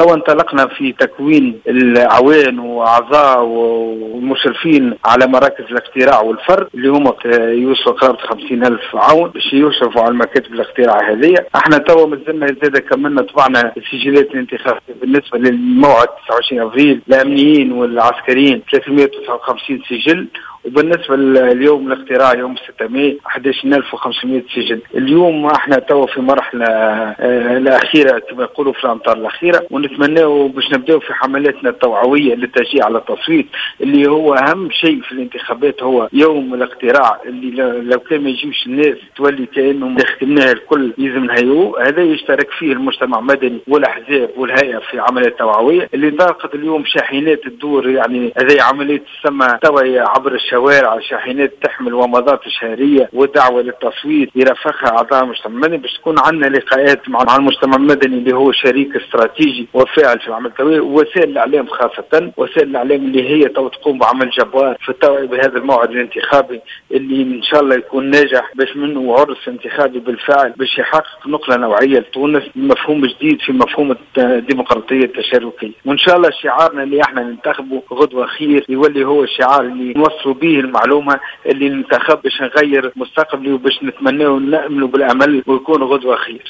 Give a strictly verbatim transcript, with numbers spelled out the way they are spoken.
توا انطلقنا في تكوين الأعوان وأعضاء والمشرفين على مراكز الاقتراع والفرد اللي هما يوصلوا قرابة خمسين ألف عون باش يشرفوا على المكاتب الاقتراع هذه. احنا توا مازلنا زاد كملنا طبعنا السجلات الانتخابية بالنسبة للموعد تسعة وعشرين أفريل الأمنيين والعسكريين ثلاثمئة وتسعة وخمسين سجل، وبالنسبة لليوم الاقتراع يوم ستة ماي أحد عشر ألف وخمسمئة سجل. اليوم احنا توا في مرحلة الأخيرة كما يقولوا في الأمطار الأخيرة، ونتمناو باش نبداو في حملاتنا التوعوية للتشجيع على التصويت اللي هو أهم شيء في الانتخابات هو يوم الاقتراع اللي لو كان ما يجيوش الناس تولي كأنهم خدمناها الكل لازم نهيئوه. هذا يشترك فيه المجتمع المدني والأحزاب والهيئة في عمليات توعوية اللي انطلقت اليوم شاحنات الدور، يعني هذه عملية تسمى توعية عبر الشوارع، شاحنات تحمل ومضات شهرية ودعوة للتصويت يرافقها أعضاء المجتمع المدني باش تكون عندنا لقاءات مع المجتمع المدني اللي هو شريك استراتيجي وفاعل في العمل التوعوي، ووسائل الإعلام خاصة وسائل الإعلام اللي هي تو تقوم بعمل جبار في التوعية بهذا الموعد الانتخابي اللي إن شاء الله يكون ناجح باش منه عرس انتخابي بالفعل باش يحقق نقلة نوعية لتونس، مفهوم جديد في مفهوم الديمقراطية التشاركية. وإن شاء الله شعارنا اللي احنا ننتخبه غدوة خير يولي هو الشعار اللي نوصلوا به المعلومة اللي ننتخب باش نغير مستقبلي وباش نتمناه ونأملوا بالأمل ويكون غدوة خير.